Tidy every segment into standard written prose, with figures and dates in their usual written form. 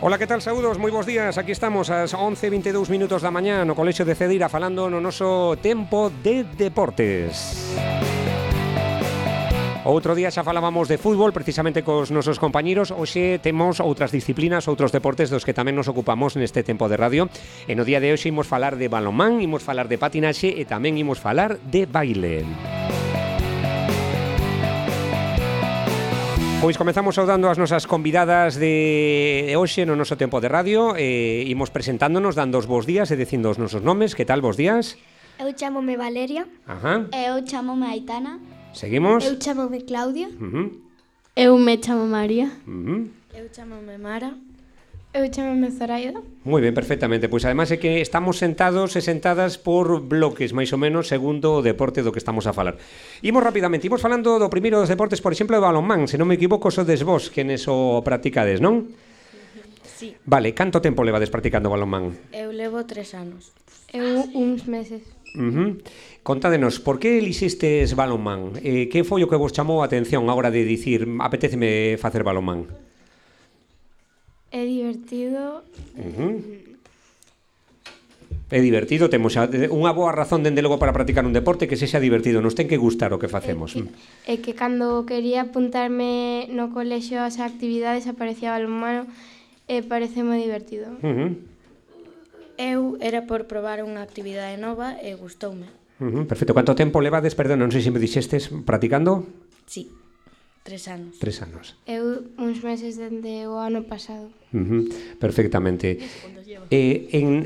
Ola, que tal? Saúdos, moi bons días. Aquí estamos ás 11:22 minutos da mañá no Colexio de Cedira falando no noso tempo de deportes. Outro día xa falábamos de fútbol precisamente cos nosos compañeros. Hoxe temos outras disciplinas, outros deportes dos que tamén nos ocupamos neste tempo de radio. E no día de hoxe imos falar de balonmán, imos falar de patinaxe e tamén imos falar de baile. Pois comezamos saudando as nosas convidadas de hoxe no noso tempo de radio. Imos presentándonos, dando os bons días e dicindo os nosos nomes. Que tal, bons días? Eu chámome Valeria. Ajá. Eu chámome Aitana. Seguimos. Eu chámome Claudia. Eu me chamo María. Eu chámome Mara. Eu chámome Zoraida. Moi ben, perfectamente. Pois ademais é que estamos sentados e sentadas por bloques, máis ou menos, segundo o deporte do que estamos a falar. Imos rapidamente, imos falando do primeiro dos deportes, por exemplo, de balonmán. Se non me equivoco, sodes vos quenes o practicades, non? Sí. Vale, canto tempo levades practicando balonmán? Eu levo 3 anos. Eu uns meses. Contádenos, por que elixistes balonmán? Que foi o que vos chamou a atención a hora de dicir apetéceme facer balonmán? É divertido. É divertido, temos unha boa razón dende logo para practicar un deporte que sexa divertido, nos ten que gustar o que facemos. É que cando quería apuntarme no colexio ás actividades aparecía balonmano e parece moi divertido. Eu era por probar unha actividade nova e gustoume. Perfecto, canto tempo levades, perdón, non sei se me dixestes, practicando? Sí, 3 anos. 3 anos. Eu uns meses dende o ano pasado. Perfectamente.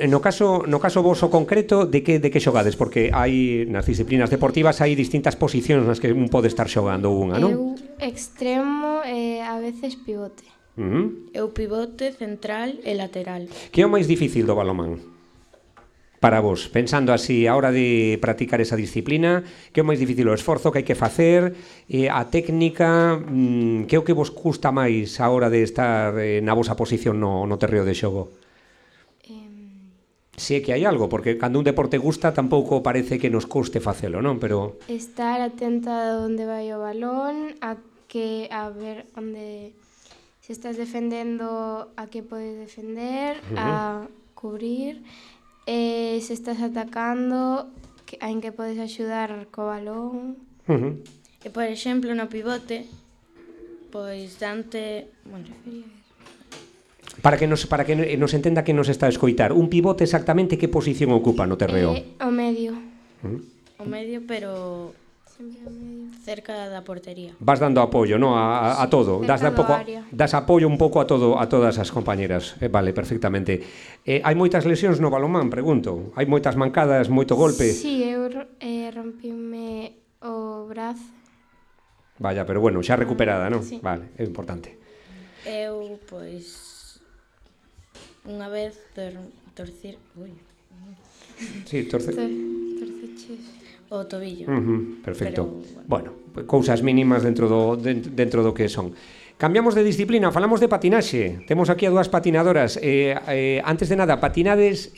No caso voso concreto, de que xogades? Porque hai nas disciplinas deportivas hai distintas posicións nas que un pode estar xogando unha, non? Eu extremo e a veces pivote. Eu pivote, central e lateral. Que é o máis difícil do balonmán? Para vos, pensando así, a hora de practicar esa disciplina, que é o máis difícil, o esforzo que hai que facer, a técnica, que é o que vos custa máis a hora de estar na vosa posición no terreo de xogo? Si é que hai algo, porque cando un deporte gusta tampouco parece que nos custe facelo, non? Pero Estar atenta a onde vai o balón, a ver onde se estás defendendo, a que podes defender, a cubrir. Se estás atacando, en que podes axudar co balón. E, por exemplo, no pivote, pois dante... para que nos entenda que nos está a escoitar, un pivote exactamente que posición ocupa no terreo? O medio. O medio, pero Sempre o medio. cerca da portería. Vas dando apoio, no, a todo, das apoio un pouco a todas as compañeras. Vale, perfectamente. Hai moitas lesións no balonmán, pregunto. Hai moitas mancadas, moito golpe. Sí, eu rompime o brazo. Vaya, pero bueno, xa recuperada, non? Sí. Vale, é importante. Eu, pois, unha vez torcir... Sí, Torceches. o tobillo. Perfecto. Pero, Bueno, cousas mínimas dentro do que son. Cambiamos de disciplina, falamos de patinaxe. Temos aquí a dúas patinadoras. Antes de nada, patinades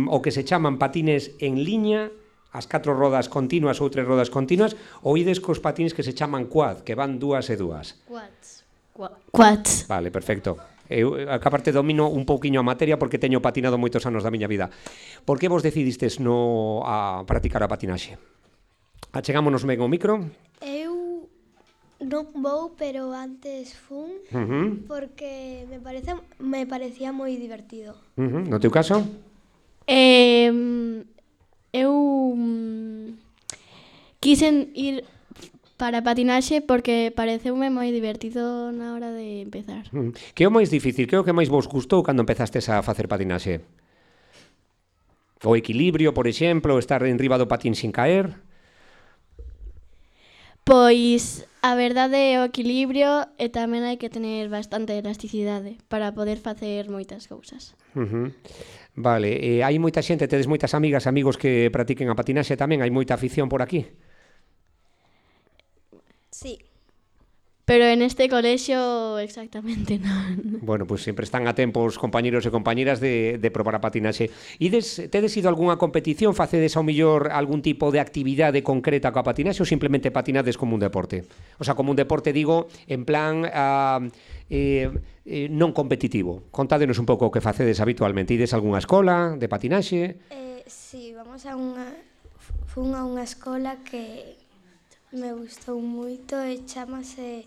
o que se chaman patines en liña, as 4 rodas continuas ou 3 rodas continuas, ou ides cos patines que se chaman quad, que van dúas e dúas. Quads. Vale, perfecto. Eu, a parte, domino un pouquiño a materia porque teño patinado moitos anos da miña vida. Por que vos decidistes a practicar a patinaxe? Achegámonos ben ao micro. Eu non vou, pero antes fun porque me parecía moi divertido. No teu caso? Eu quisen ir para patinaxe porque pareceume moi divertido na hora de empezar. Que é o máis difícil? Que é o que máis vos gustou cando empezastes a facer patinaxe? O equilibrio, por exemplo, estar en riba do patín sin caer? Pois a verdade é o equilibrio e tamén hai que tener bastante elasticidade para poder facer moitas cousas. Vale, hai moita xente, tedes moitas amigas, amigos que practiquen a patinaxe tamén, hai moita afición por aquí? Sí. Pero en este colexio exactamente non. Bueno, pois sempre están a tempo os compañeros e compañeras de probar a patinaxe. Tedes ido a algunha competición, facedes ao millor algún tipo de actividade concreta coa patinaxe ou simplemente patinades como un deporte? O sea, como un deporte, digo, en plan non competitivo. Contádenos un pouco o que facedes habitualmente. Ides a algunha escola de patinaxe? Sí, fun a unha escola que me gustou moito e chamase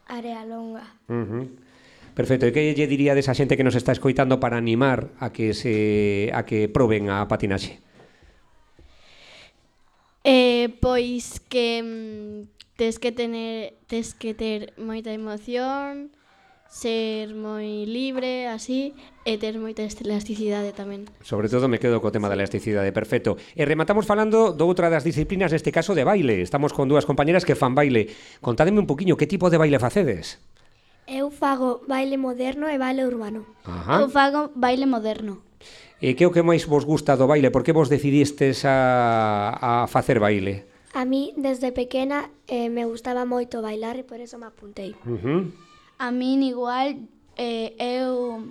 Área Longa. Perfecto. E que lle diríades a xente que nos está escoitando para animar a que proben a patinaxe? Pois que tes que ter moita emoción, ser moi libre, así, e ter moita elasticidade tamén. Sobre todo me quedo co tema da elasticidade, perfecto. E rematamos falando doutra das disciplinas, neste caso de baile. Estamos con dúas compañeras que fan baile. Contádeme un poquinho que tipo de baile facedes. Eu fago baile moderno e baile urbano. Eu fago baile moderno. E que é o que máis vos gusta do baile? Por que vos decidistes a facer baile? A mí, desde pequena, me gustaba moito bailar e por eso me apuntei. A min igual, eu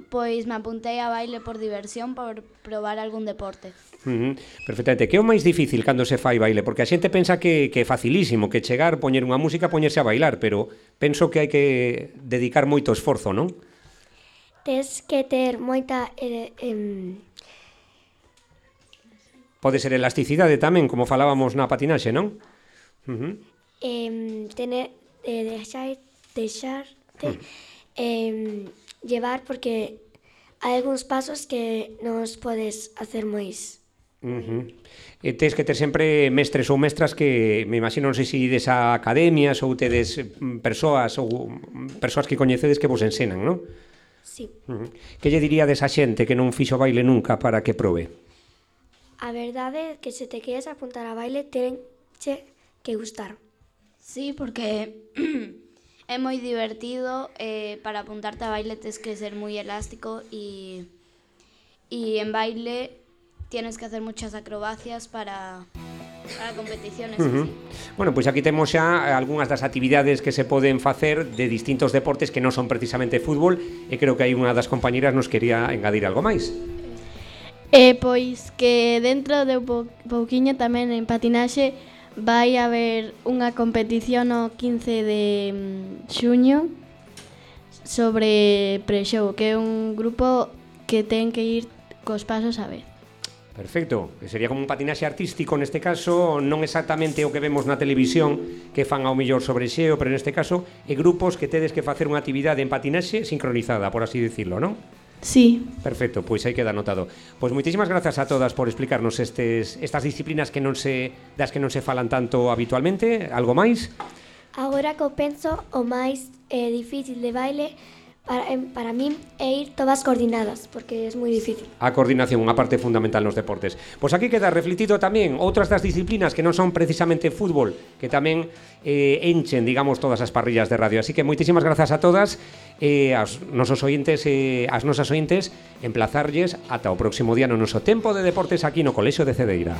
pois me apuntei a baile por diversión, por probar algún deporte. Perfectamente. Que é o máis difícil cando se fai baile? Porque a xente pensa que é facilísimo, que chegar, poñer unha música, poñerse a bailar, pero penso que hai que dedicar moito esforzo, non? Tes que ter moita... Pode ser elasticidade tamén, como falábamos na patinaxe, non? Deixarte llevar porque hai algúns pasos que non os podes hacer máis. E tes que ter sempre mestres ou mestras que, me imagino, non sei se ides a academias ou tedes persoas que coñecedes que vos ensenan, non? Sí. Que lle diríades a xente que non fixo baile nunca para que probe? A verdade é que se te queres apuntar a baile, tenche que gustar. Sí, porque é moi divertido, para apuntarte a baile tes que ser moi elástico y en baile tienes que hacer muchas acrobacias para competiciones. Así. Bueno, pois aquí temos xa algunhas das actividades que se poden facer de distintos deportes que non son precisamente fútbol, e creo que hai unha das compañeras nos quería engadir algo máis. Pois que dentro de pouquiño tamén en patinaxe vai haber unha competición o 15 de xuño sobre pre-show, que é un grupo que ten que ir cos pasos a vez. Perfecto, que sería como un patinaxe artístico neste caso, non exactamente o que vemos na televisión que fan ao mellor sobre xeo, pero neste caso é grupos que tedes que facer unha actividade en patinaxe sincronizada, por así dicirlo, non? Sí. Perfecto, pois aí queda anotado. Pois moitísimas grazas a todas por explicarnos estas disciplinas das que non se falan tanto habitualmente. Algo máis? Agora que eu penso, o máis difícil de baile para min é ir todas coordinadas, porque é moi difícil. A coordinación, unha parte fundamental nos deportes. Pois aquí queda refletido tamén outras das disciplinas que non son precisamente fútbol, que tamén enchen, digamos, todas as parrillas de radio. Así que moitísimas grazas a todas, aos nosos ointes e as nosas ointes, emplazarlles ata o próximo día no noso tempo de deportes aquí no Colexio de Cedeira.